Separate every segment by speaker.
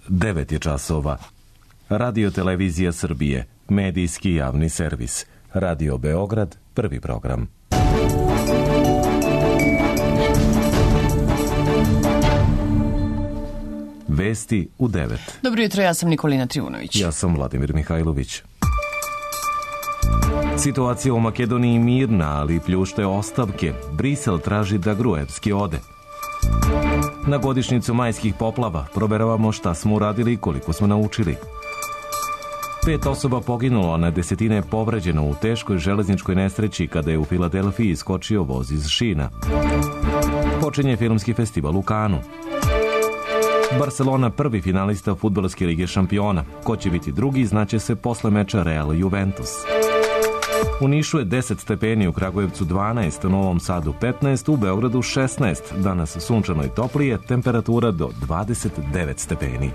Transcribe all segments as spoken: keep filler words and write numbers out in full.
Speaker 1: devet je časova. Radio Televizija Srbije, medijski javni servis. Radio Beograd, prvi program. Vesti u devet.
Speaker 2: Dobro jutro, ja sam Nikolina Trivunović.
Speaker 1: Ja sam Vladimir Mihajlović. Situacija u Makedoniji mirna, ali pljušte ostavke. Brisel traži da Gruevski ode. Na godišnjicu majskih poplava proveravamo šta smo uradili i koliko smo naučili. Pet osoba poginulo, a na desetine povređeno u teškoj železničkoj nesreći kada je u Filadelfiji iskočio voz iz šina. Počinje filmski festival u Kanu. Barcelona prvi finalista fudbalske lige šampiona. Ko će biti drugi, znaće se posle meča Real Juventus. U Nišu je deset stepeni, u Kragujevcu dvanaest, u Novom Sadu petnaest, u Beogradu šesnaest. Danas sunčano i toplije, temperatura do dvadeset devet stepeni.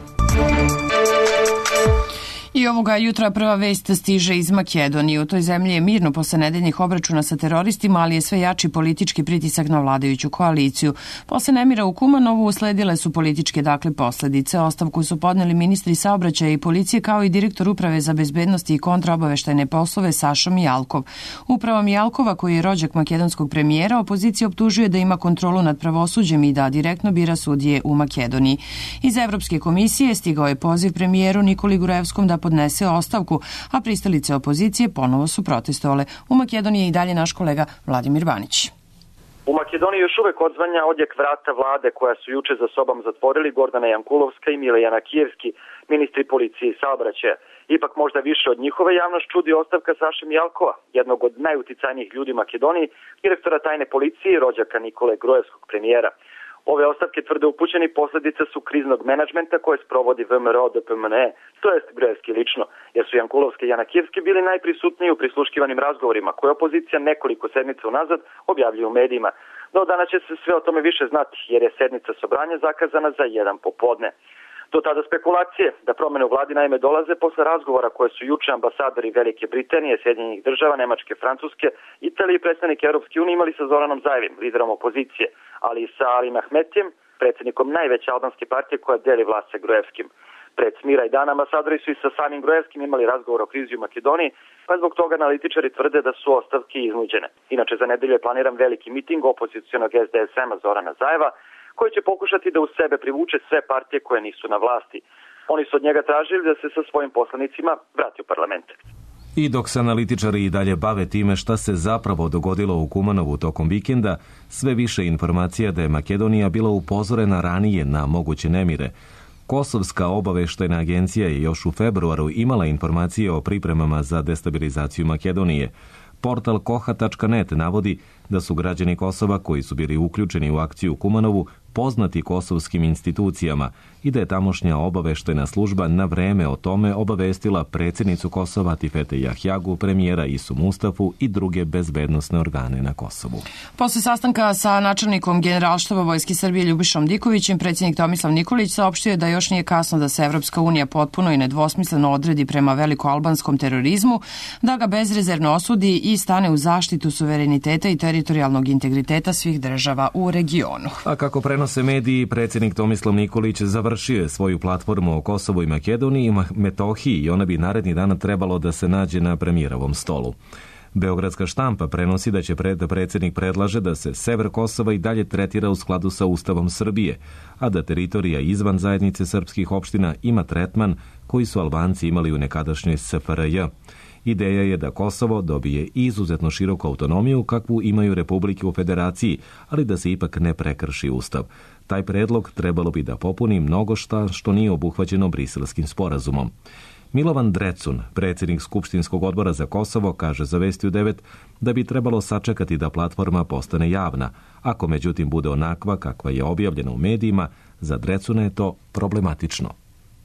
Speaker 2: I ovoga jutra prva vest stiže iz Makedonije. U toj zemlji je mirno posle nedeljnih obračuna sa teroristima, ali je sve jači politički pritisak na vladajuću koaliciju. Posle nemira u Kumanovu usledile su političke dakle posledice. Ostavku su podneli ministri saobraćaja i policije kao i direktor Uprave za bezbednost i kontraobaveštajne poslove Sašo Mijalkov. Uprava Mijalkova, koji je rođak makedonskog premijera, opozicija optužuje da ima kontrolu nad pravosuđem i da direktno bira sudije u Makedoniji. Iz Evropske komisije stigao je poziv premijeru Nikoli Gruevskom da podnese ostavku, a pristalice opozicije ponovo su protestovale. U Makedoniji je i dalje naš kolega Vladimir Banić.
Speaker 3: U Makedoniji još uvek odzvanja odjek vrata vlade koja su juče za sobom zatvorili Gordana Jankulovska i Milijan Kijevski, ministri policije i saobraćaja. Ipak možda više od njihove javnost čudi ostavka Saše Mijalkova, jednog od najuticajnijih ljudi u Makedoniji, direktora tajne policije i rođaka Nikole Gruevskog premijera. Ove ostavke, tvrde upućeni, posljedice su kriznog menadžmenta koje sprovodi V M R O D P M N E, to jest Gruevski lično, jer su Jankulovski i Janakijevski bili najprisutniji u prisluškivanim razgovorima koje opozicija nekoliko sedmica unazad objavljuje u medijima. No danas će se sve o tome više znati, jer je sednica sobranja zakazana za jedan popodne. Do tada spekulacije da promene u vladi naime dolaze posle razgovora koje su juče ambasadori Velike Britanije, Sjedinjenih država, Nemačke, Francuske, Italije i predstavnike Europske unije imali sa Zoranom Zajevim, liderom opozicije, ali i sa Alim Ahmetijem, predsjednikom najveće albanske partije koja deli vlast sa Gruevskim. Pred smira i dana ambasadori su i sa samim Gruevskim imali razgovor o krizi u Makedoniji, pa zbog toga analitičari tvrde da su ostavke iznuđene. Inače, za nedelju je planiran veliki miting opozicionog S D S M-a Zorana Zajeva, koji će pokušati da u sebe privuče sve partije koje nisu na vlasti. Oni su od njega tražili da se sa svojim poslanicima vrati u parlament.
Speaker 1: I dok se analitičari i dalje bave time šta se zapravo dogodilo u Kumanovu tokom vikenda, sve više informacija da je Makedonija bila upozorena ranije na moguće nemire. Kosovska obaveštajna agencija je još u februaru imala informacije o pripremama za destabilizaciju Makedonije. Portal koha tačka net navodi da su građani Kosova koji su bili uključeni u akciju u Kumanovu poznati kosovskim institucijama i da je tamošnja obaveštajna služba na vreme o tome obavestila predsjednicu Kosova Tifete Jahjagu, premijera Isu Mustafu i druge bezbednosne organe na Kosovu.
Speaker 2: Posle sastanka sa načelnikom Generalštaba Vojske Srbije Ljubišom Dikovićem, predsjednik Tomislav Nikolić saopštio je da još nije kasno da se Evropska unija potpuno i nedvosmisleno odredi prema velikoalbanskom terorizmu, da ga bezrezervno osudi i stane u zaštitu suvereniteta i teritorijalnog integriteta svih država u regionu.
Speaker 1: A kako prenose mediji, predsjednik Tomislav Nikolić završio je svoju platformu o Kosovu i Makedoniji i Metohiji i ona bi naredni dan trebalo da se nađe na premijerovom stolu. Beogradska štampa prenosi da će pred predsjednik predlaže da se sever Kosova i dalje tretira u skladu sa Ustavom Srbije, a da teritorija izvan zajednice srpskih opština ima tretman koji su Albanci imali u nekadašnjoj S F R J. Ideja je da Kosovo dobije izuzetno široku autonomiju kakvu imaju republike u federaciji, ali da se ipak ne prekrši Ustav. Taj predlog trebalo bi da popuni mnogo šta što nije obuhvaćeno Briselskim sporazumom. Milovan Drecun, predsjednik Skupštinskog odbora za Kosovo, kaže za Vesti u devet da bi trebalo sačekati da platforma postane javna. Ako međutim bude onakva kakva je objavljena u medijima, za Drecuna je to problematično.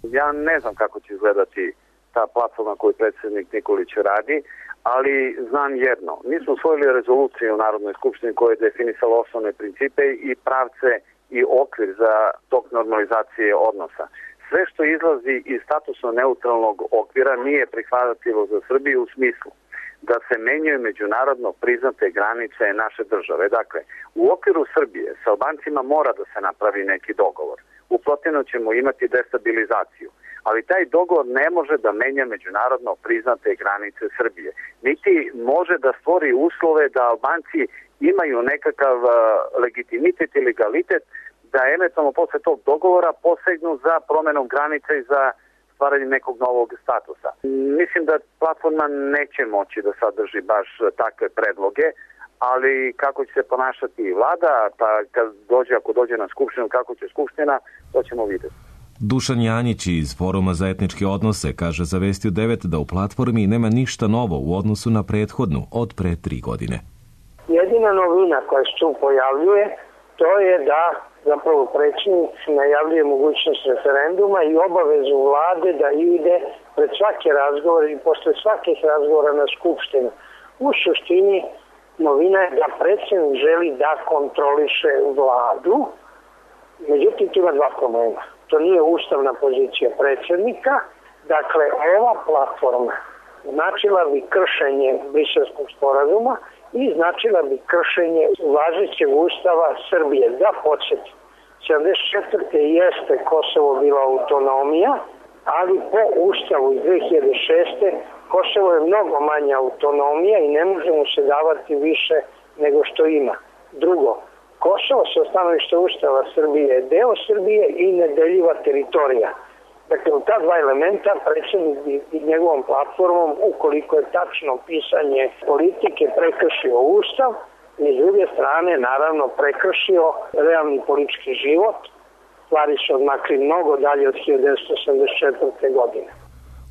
Speaker 4: Ja ne znam kako će izgledati ta platforma koju predsjednik Nikolić radi, ali znam jedno. Mi smo usvojili rezoluciju u Narodnoj skupštini koja je definisala osnovne principe i pravce i okvir za tok normalizacije odnosa. Sve što izlazi iz statusno neutralnog okvira nije prihvatljivo za Srbiju u smislu da se menjaju međunarodno priznate granice naše države. Dakle, u okviru Srbije sa Albancima mora da se napravi neki dogovor. u protivnom ćemo imati destabilizaciju. Ali taj dogovor ne može da menja međunarodno priznate granice Srbije. Niti može da stvori uslove da Albanci imaju nekakav uh, legitimitet i legalitet da eventualno posle tog dogovora posegnu za promenom granice i za stvaranje nekog novog statusa. Mislim da platforma neće moći da sadrži baš takve predloge, ali kako će se ponašati i vlada, pa kad dođe, ako dođe na skupštinu, kako će skupština, to ćemo vidjeti.
Speaker 1: Dušan Janjić iz Foruma za etničke odnose kaže za Vestiju devet da u platformi nema ništa novo u odnosu na prethodnu od pre tri godine.
Speaker 5: Jedina novina koja se tu pojavljuje, to je da zapravo predsjednik najavljuje mogućnost referenduma i obavezu vlade da ide pred svake razgovore i posle svakih razgovora na skupštinu. U suštini novina je da predsjednik želi da kontroliše vladu, međutim tu ima dva problema. To nije ustavna pozicija predsjednika, dakle ova platforma značila bi kršenje Briselskog sporazuma i značila bi kršenje važećeg ustava Srbije. Da podsjetim, sedamdeset četvrte jeste Kosovo bila autonomija, ali po ustavu iz dve hiljade šeste. Kosovo je mnogo manja autonomija i ne može mu se davati više nego što ima. Drugo, Kosovo sa stanovišta ustava Srbije je deo Srbije i nedeljiva teritorija. Dakle, u ta dva elementa predsjednik i njegovom platformom, ukoliko je tačno pisanje politike, prekršio ustav i s druge strane, naravno, prekršio realni politički život. Stvari su odmakli mnogo dalje od hiljadu devetsto osamdeset četvrte. godine.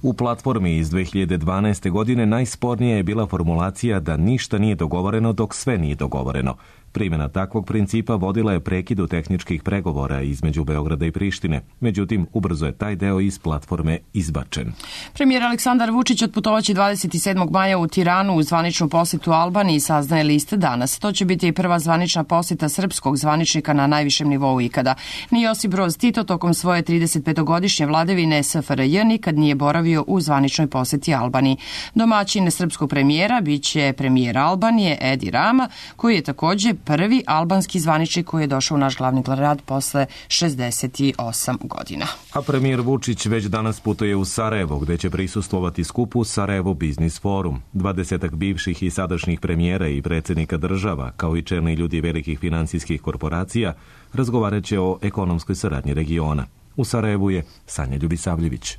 Speaker 1: U platformi iz dve hiljade dvanaeste. godine najspornija je bila formulacija da ništa nije dogovoreno dok sve nije dogovoreno. Primjena takvog principa vodila je prekidu tehničkih pregovora između Beograda i Prištine. Međutim, ubrzo je taj deo iz platforme izbačen.
Speaker 2: Premijer Aleksandar Vučić otputovaće dvadeset sedmog maja u Tiranu u zvaničnu posjetu Albaniji, saznaje liste danas. To će biti i prva zvanična posjeta srpskog zvaničnika na najvišem nivou ikada. Ni Josip Broz Tito tokom svoje tridesetpetogodišnje vladavine S F R J nikad nije boravio u zvaničnoj posjeti Albaniji. Domaćin srpskog premijera biće premijer Albanije Edi Rama, koji je također prvi albanski zvaničnik koji je došao u naš glavni grad posle šezdeset osam godina.
Speaker 1: A premijer Vučić već danas putuje u Sarajevo, gde će prisustvovati skupu Sarajevo Biznis Forum. Dvadesetak bivših i sadašnjih premijera i predsjednika država, kao i čelni ljudi velikih finansijskih korporacija, razgovarat će o ekonomskoj saradnji regiona. U Sarajevu je Sanja Ljubisavljević.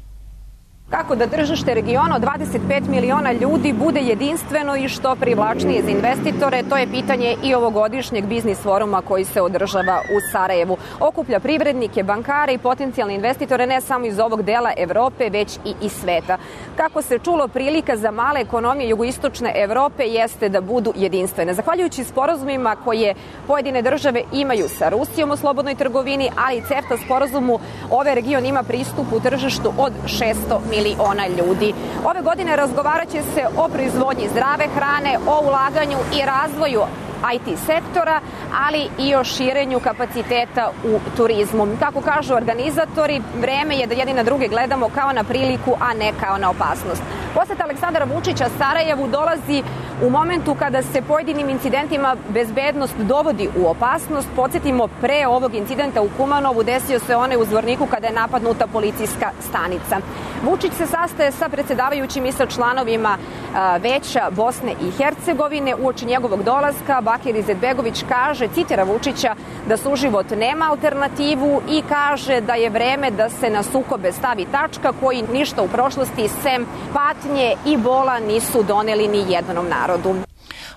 Speaker 6: Kako da tržište regiona od dvadeset pet miliona ljudi bude jedinstveno i što privlačnije za investitore, to je pitanje i ovogodišnjeg biznis foruma koji se održava u Sarajevu. Okuplja privrednike, bankare i potencijalne investitore ne samo iz ovog dela Evrope, već i iz sveta. Kako se čulo, prilika za male ekonomije jugoistočne Evrope jeste da budu jedinstvene. Zahvaljujući sporazumima koje pojedine države imaju sa Rusijom u slobodnoj trgovini, ali i CEFTA sporazumu, ovaj region ima pristup u tržištu od šesto miliona ljudi. Ove godine razgovarat će se o proizvodnji zdrave hrane, o ulaganju i razvoju I T sektora, ali i o širenju kapaciteta u turizmu. Kako kažu organizatori, vreme je da jedni na druge gledamo kao na priliku, a ne kao na opasnost. Poseta Aleksandra Vučića Sarajevu dolazi u momentu kada se pojedinim incidentima bezbednost dovodi u opasnost. Podsjetimo, pre ovog incidenta u Kumanovu desio se onaj u Zvorniku kada je napadnuta policijska stanica. Vučić se sastaje sa predsjedavajućim i sa članovima Veća Bosne i Hercegovine. Uoči njegovog dolaska Bakir Izetbegović kaže, citira Vučića, da suživot nema alternativu i kaže da je vreme da se na sukobe stavi tačka koji ništa u prošlosti sem patnje i bola nisu doneli ni jednom narodu.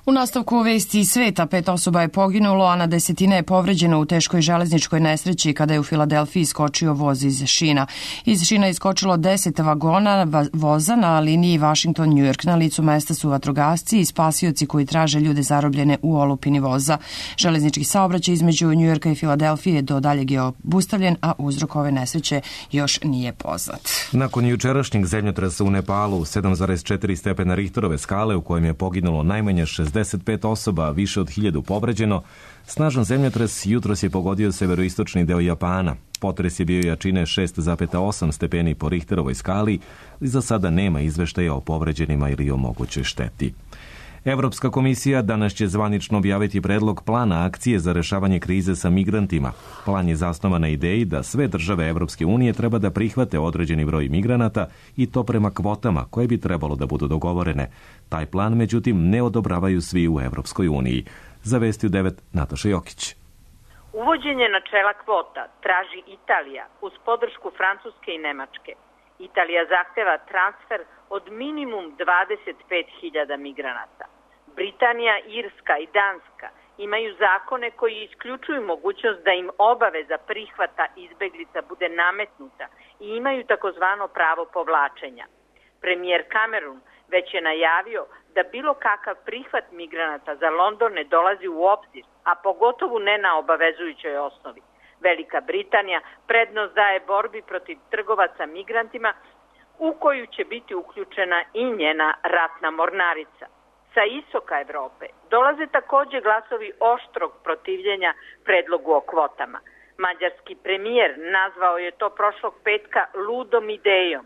Speaker 2: U nastavku vesti iz sveta pet osoba je poginulo, a na desetine je povređeno u teškoj železničkoj nesreći kada je u Filadelfiji iskočio voz iz šina. Iz šina je iskočilo deset vagona voza na liniji Washington-New York. Na licu mesta su vatrogasci i spasioci koji traže ljude zarobljene u olupini voza. Železnički saobraćaj između New Yorka i Filadelfije do daljeg je obustavljen, a uzrok ove nesreće još nije poznat.
Speaker 1: Nakon jučerašnjeg zemljotresa u Nepalu, sedam zarez četiri stepena Richterove skale, u kojem je poginulo najmanje šezdeset pet osoba, više od hiljadu povređeno, snažan zemljotres jutros je pogodio severoistočni deo Japana. Potres je bio jačine šest zarez osam stepeni po Richterovoj skali i za sada nema izveštaja o povređenima ili o mogućoj šteti. Evropska komisija danas će zvanično objaviti predlog plana akcije za rešavanje krize sa migrantima. Plan je zasnovan na ideji da sve države Evropske unije treba da prihvate određeni broj migranata i to prema kvotama koje bi trebalo da budu dogovorene. Taj plan, međutim, ne odobravaju svi u Evropskoj uniji. Za Vesti u devet, Nataša Jokić.
Speaker 7: Uvođenje načela kvota traži Italija uz podršku Francuske i Nemačke. Italija zahteva transfer od minimum dvadeset pet hiljada migranata. Britanija, Irska i Danska imaju zakone koji isključuju mogućnost da im obaveza prihvata izbeglica bude nametnuta i imaju takozvano pravo povlačenja. Premijer Cameron već je najavio da bilo kakav prihvat migranata za London ne dolazi u obzir, a pogotovo ne na obavezujućoj osnovi. Velika Britanija prednost daje borbi protiv trgovaca migrantima u koju će biti uključena i njena ratna mornarica. Sa istoka Evrope dolaze također glasovi oštrog protivljenja predlogu o kvotama. Mađarski premijer nazvao je to prošlog petka ludom idejom.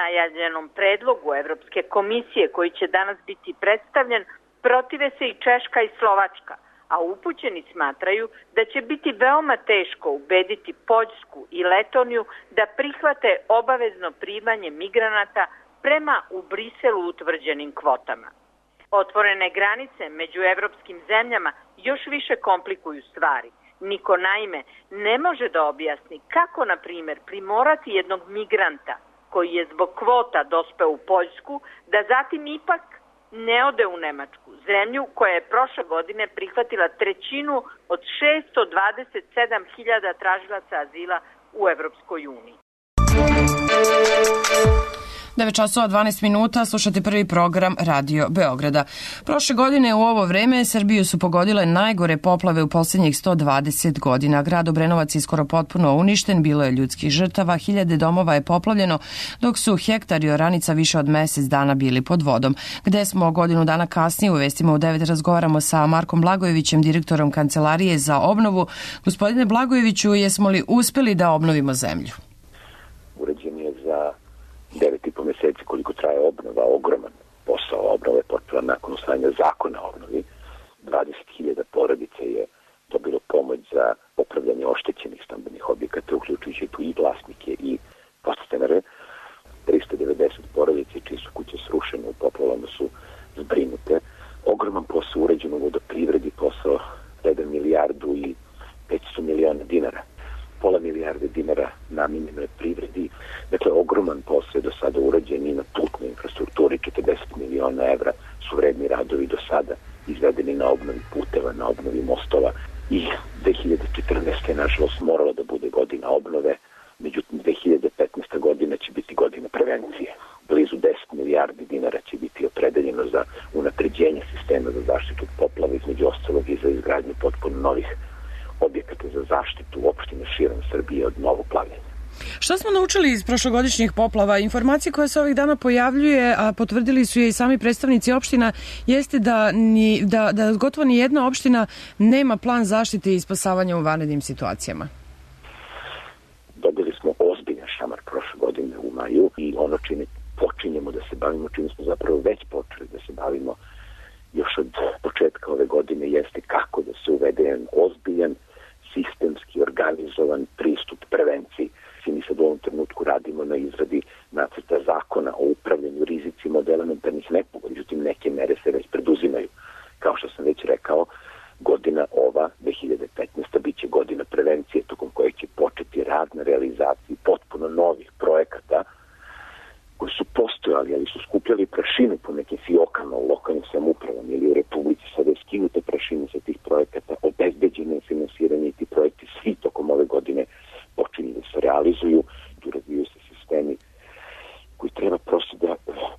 Speaker 7: Najavljenom predlogu Evropske komisije koji će danas biti predstavljen protive se i Češka i Slovačka, a upućeni smatraju da će biti veoma teško ubediti Poljsku i Letoniju da prihvate obavezno primanje migranata prema u Briselu utvrđenim kvotama. Otvorene granice među evropskim zemljama još više komplikuju stvari. Niko naime ne može da objasni kako, na primjer, primorati jednog migranta koji je zbog kvota dospeo u Poljsku, da zatim ipak ne ode u Nemačku, zemlju koja je prošle godine prihvatila trećinu od šesto dvadeset sedam hiljada tražilaca azila u Evropskoj uniji.
Speaker 2: devet časova dvanaest minuta, slušate prvi program Radio Beograda. Prošle godine u ovo vreme Srbiju su pogodile najgore poplave u posljednjih sto dvadeset godina. Grad Obrenovac je skoro potpuno uništen, bilo je ljudskih žrtava, hiljade domova je poplavljeno, dok su hektari oranica više od mjesec dana bili pod vodom. Gde smo godinu dana kasnije, u Vestima u devet razgovaramo sa Markom Blagojevićem, direktorom Kancelarije za obnovu. Gospodine Blagojeviću, jesmo li uspeli da obnovimo zemlju?
Speaker 8: Urađen je za devet i po mjeseci koliko traje obnova, ogroman posao. Obnova je počela nakon usvajanja zakona o obnovi. dvadeset hiljada porodica je dobilo pomoć za popravljanje oštećenih stambenih objekata, uključujući tu i vlasnike i podstanare. tristo devedeset porodica čije su kuće srušene u poplavama su zbrinute. Ogroman posao urađen u vodoprivredi, posao jedan milijardu i petsto miliona dinara. Pola milijarde dinara namijenjeno je privredi. Dakle, ogroman posao je do sada urađen i na putnoj infrastrukturi. četrdeset miliona evra su vredni radovi do sada izvedeni na obnovi puteva, na obnovi mostova. I dve hiljade četrnaeste. je nažalost morala da bude godina obnove, međutim dve hiljade petnaesta. godina će biti godina prevencije. Blizu deset milijardi dinara će biti opredeljeno za unapređenje sistema za zaštitu od poplava, između ostalog i za izgradnju potpuno novih objekata za zaštitu opštine širom Srbije od novog plavljenja.
Speaker 2: Šta smo naučili iz prošlogodišnjih poplava? Informacije koje se ovih dana pojavljuje, a potvrdili su je i sami predstavnici opština, jeste da, ni, da, da gotovo ni jedna opština nema plan zaštite i spasavanja u vanrednim situacijama.
Speaker 8: Dobili smo ozbiljan šamar prošle godine u maju i ono čime počinjemo da se bavimo, čime smo zapravo već počeli da se bavimo još od početka ove godine, jeste kako da se uvede jedan ozbiljan, sistemski organizovan pristup prevenciji. I mi sad u ovom trenutku radimo na izradi nacrta zakona o upravljanju rizicima od elementarnih nepogoda. Međutim, neke mere se već preduzimaju. Kao što sam već rekao, godina ova, dve hiljade petnaesta. bit će godina prevencije, tokom koje će početi rad na realizaciji potpuno novih projekata koji su postojali, ali su skupljali prašinu po nekim fiokama u lokalnim samoupravama ili u Republici. Sada je skinuta prašina sa tih projekata, obezbeđeno finansiranje i ti projekti svi tokom ove godine počinju da se realizuju, tu razvijaju se sistemi koji treba prosto da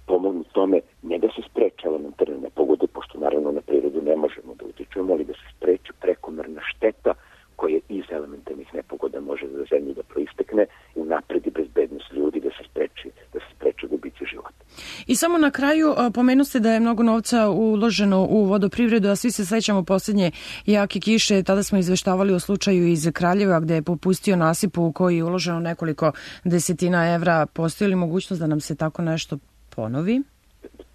Speaker 8: pomognu tome, ne da se spreče elementarne nepogode, pošto naravno na prirodu ne možemo da utičemo, ali da se spreče prekomerna šteta koja iz elementarnih nepogoda može za zemlju da proistekne i unapredi bezbednost ljudi, da se spreči, da se spreče gubici života.
Speaker 2: I samo na kraju pomenu ste da je mnogo novca uloženo u vodoprivredu, a svi se sećamo posljednje jake kiše. Tada smo izveštavali o slučaju iz Kraljeva gde je popustio nasip u koji je uloženo nekoliko desetina evra. Postoji li mogućnost da nam se tako nešto ponovi?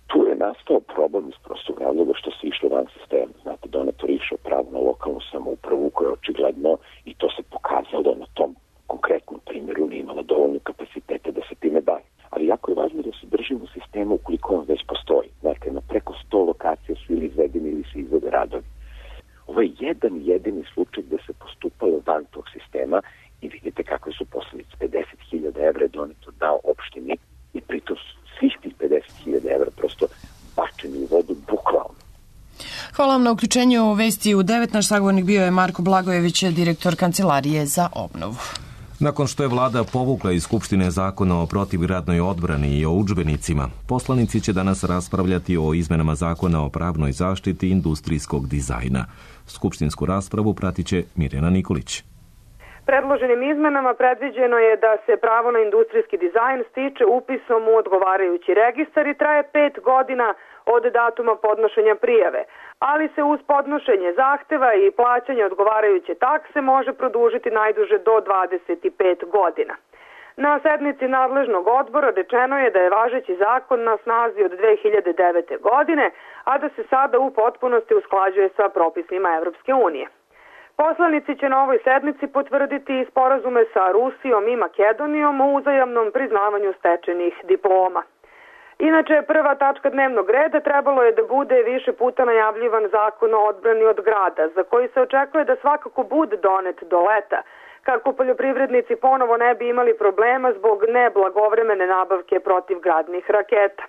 Speaker 8: Tu je nastao problem iz prostog razloga što se išlo van sistema. Znate, donator išao pravo na lokalnu samoupravu koja je očigledno, i to se pokazalo na tom konkretnom primjeru, nije imala dovoljno kapaciteta da se time bavi. Ali jako je važno da se držimo sistema ukoliko on već postoji. Znate, na preko sto lokacija su ili izvedeni ili se izvode radovi. Ovo je jedan jedini slučaj gde se postupalo van tog sistema i vidite kakve su posljedice. pedeset hiljada evra je donator dao opštini i pritom svih tih pedeset hiljada evra prosto bačeni u vodu bukvalno.
Speaker 2: Hvala vam na uključenju vesti u devet. Naš sagovornik bio je Marko Blagojević, direktor Kancelarije za obnovu.
Speaker 1: Nakon što je vlada povukla iz Skupštine zakona o protivgradnoj odbrani i o udžbenicima, poslanici će danas raspravljati o izmenama zakona o pravnoj zaštiti industrijskog dizajna. Skupštinsku raspravu pratit će Mirjana Nikolić.
Speaker 9: Predloženim izmenama predviđeno je da se pravo na industrijski dizajn stiče upisom u odgovarajući registar i traje pet godina od datuma podnošenja prijave, ali se uz podnošenje zahteva i plaćanje odgovarajuće takse može produžiti najduže do dvadeset pet godina. Na sednici nadležnog odbora rečeno je da je važeći zakon na snazi od dve hiljade devete. godine, a da se sada u potpunosti usklađuje sa propisima Evropske unije. Poslanici će na ovoj sednici potvrditi sporazume sa Rusijom i Makedonijom o uzajamnom priznavanju stečenih diploma. Inače, prva tačka dnevnog reda trebalo je da bude više puta najavljivan zakon o odbrani od grada, za koji se očekuje da svakako bude donet do leta, kako poljoprivrednici ponovo ne bi imali problema zbog neblagovremene nabavke protivgradnih raketa.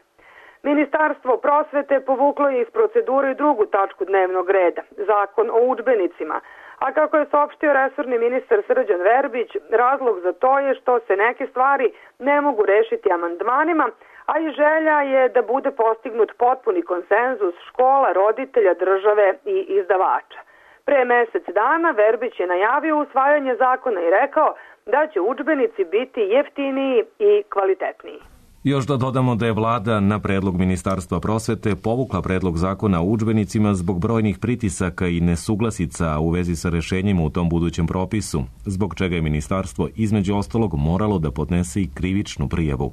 Speaker 9: Ministarstvo prosvete povuklo je iz procedure i drugu tačku dnevnog reda, zakon o udžbenicima, a kako je saopštio resorni ministar Srđan Verbić, razlog za to je što se neke stvari ne mogu rešiti amandmanima, a i želja je da bude postignut potpuni konsenzus škola, roditelja, države i izdavača. Pre mesec dana Verbić je najavio usvajanje zakona i rekao da će udžbenici biti jeftiniji i kvalitetniji.
Speaker 1: Još da dodamo da je vlada na predlog Ministarstva prosvete povukla predlog zakona o udžbenicima zbog brojnih pritisaka i nesuglasica u vezi sa rešenjima u tom budućem propisu, zbog čega je ministarstvo između ostalog moralo da podnese i krivičnu prijavu.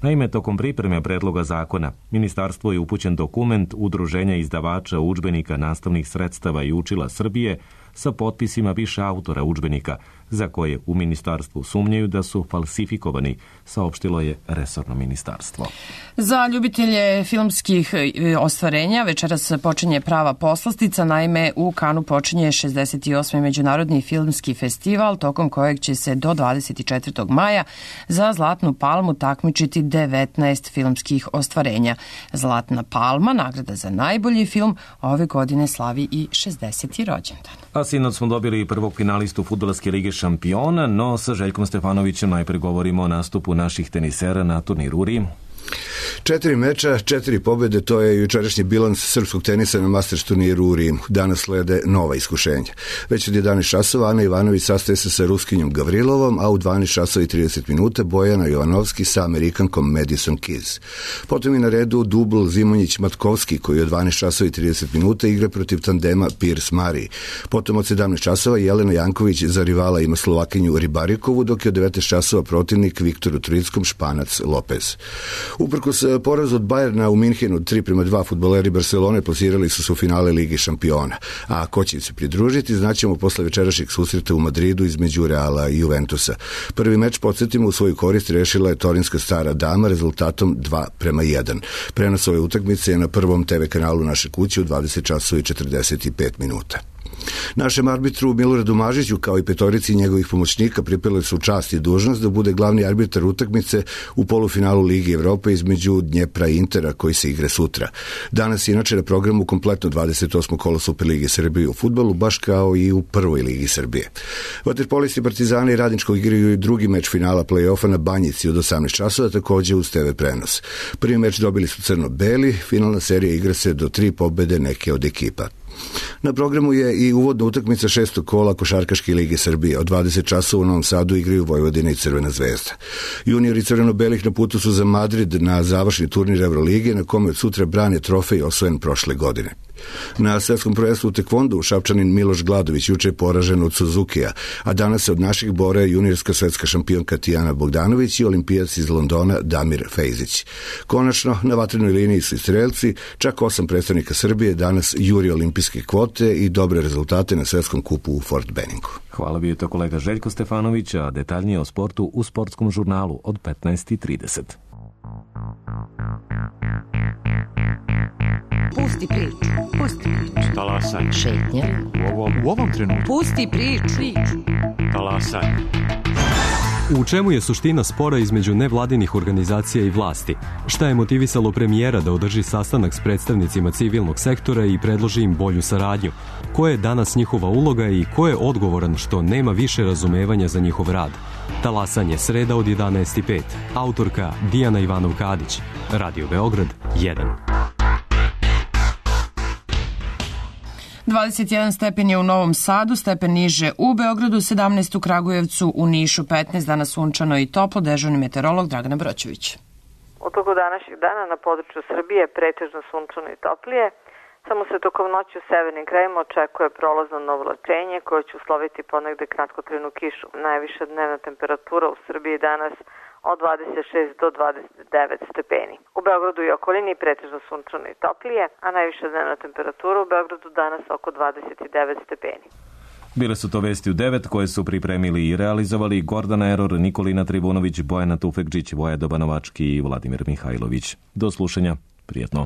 Speaker 1: Naime, tokom pripreme predloga zakona, ministarstvo je upućen dokument Udruženja izdavača udžbenika nastavnih sredstava i učila Srbije sa potpisima više autora udžbenika, za koje u ministarstvu sumnjaju da su falsifikovani, saopštilo je resorno ministarstvo.
Speaker 2: Za ljubitelje filmskih ostvarenja večeras počinje prava poslastica, naime u Kanu počinje šezdeset osmi Međunarodni filmski festival, tokom kojeg će se do dvadeset četvrtog maja za Zlatnu palmu takmičiti devetnaest filmskih ostvarenja. Zlatna palma, nagrada za najbolji film, ove godine slavi i šezdeseti rođendan.
Speaker 1: A sinoć smo dobili prvog finalistu Fudbalske lige šampiona, no sa Željkom Stefanovićem najpre govorimo o nastupu naših tenisera na turniru u Rimu.
Speaker 10: Četiri meča, četiri pobjede, to je jučerašnji bilans srpskog tenisa na Masters turniru u Rimu. Danas slede nova iskušenja. Već od jedanaest časova Ana Ivanović sastaje se sa Ruskinjom Gavrilovom, a u dvanaest časova i trideset minuta Bojana Jovanovski sa Amerikankom Madison Keys. Potom je na redu dubl Zimonjić-Matkovski, koji od dvanaest časova i trideset minuta igra protiv tandema Pierce-Mari. Potom od sedamnaest časova Jelena Janković za rivala ima Slovakinju Ribarikovu, dok je od devetnaest časova protivnik Viktoru Trickom Španac Lopez. Uprkos porazu od Bajerna u Minhenu tri prema dva fudbaleri Barcelone plasirali su se u finale Ligi šampiona. A ko će se pridružiti, znaćemo posle večerašnjeg susreta u Madridu između Reala i Juventusa. Prvi meč, podsjetimo, u svoju korist rešila je torinska Stara dama rezultatom dva prema jedan. Prenos ove utakmice je na prvom te ve kanalu Naše kuće u dvadeset časova i četrdeset pet minuta. Našem arbitru Miloradu Mažiću kao i petorici njegovih pomoćnika pripeli su čast i dužnost da bude glavni arbitar utakmice u polufinalu Ligi Evrope između Dnjepra i Intera koji se igre sutra. Danas je inače na programu kompletno dvadeset osmo kolo Superlige Srbije u fudbalu, baš kao i u prvoj Ligi Srbije. Vaterpolisti Partizana i Radničkog igraju i drugi meč finala play-offa na Banjici od osamnaest časova, takođe uz te ve prenos. Prvi meč dobili su crno-beli, finalna serija igra se do tri pobede neke od ekipa. Na programu je i uvodna utakmica šestog kola Košarkaške lige Srbije. Od dvadeset časova u Novom Sadu igraju Vojvodina i Crvena zvezda. Juniori crveno-belih na putu su za Madrid na završni turnir Evrolige, na kome od sutra brane trofej osvojen prošle godine. Na svetskom prvenstvu u tekvondu Šapčanin Miloš Gladović juče je poražen od Suzukija, a danas se od naših bore juniorska svetska šampionka Tijana Bogdanović i olimpijac iz Londona Damir Fejzić. Konačno, na vatrenoj liniji su i strelci, čak osam predstavnika Srbije danas juri olimpijske kvote i dobre rezultate na svetskom kupu u Fort Benningu.
Speaker 1: Hvala, bio je to kolega Željko Stefanović, a detaljnije o sportu u Sportskom žurnalu od petnaest i trideset.
Speaker 11: Pusti priču, pusti priču.
Speaker 12: Talasaj.
Speaker 11: Šetnja.
Speaker 12: U ovom, u ovom trenutku.
Speaker 11: Pusti priču.
Speaker 12: Talasaj.
Speaker 13: U čemu je suština spora između nevladinih organizacija i vlasti? Šta je motivisalo premijera da održi sastanak s predstavnicima civilnog sektora i predloži im bolju saradnju? Koja je danas njihova uloga i ko je odgovoran što nema više razumevanja za njihov rad? Talasanje, sreda od jedanaest i pet. Autorka Dijana Ivanov-Kadić. Radio Beograd jedan.
Speaker 2: dvadeset jedan stepen je u Novom Sadu, stepen niže u Beogradu, sedamnaest u Kragujevcu, u Nišu petnaest, danas sunčano i toplo, dežurni meteorolog Dragana Broćević.
Speaker 14: U toku današnjeg dana na području Srbije pretežno sunčano i toplije, samo se tokom noći u severnim krajima očekuje prolazno novolačenje koje će usloviti ponegde kratkotrajnu kišu. Najviša dnevna temperatura u Srbiji danas od dvadeset šest do dvadeset devet stepeni. U Beogradu i okolini pretežno sunčano i toplije, a najviša dnevna temperatura u Beogradu danas oko dvadeset devet stepeni.
Speaker 1: Bile su to vesti u devet koje su pripremili i realizovali Gordana Eror, Nikolina Tribunović, Bojana Tufekđić, Voja Dobanovački i Vladimir Mihajlović. Do slušanja, prijetno.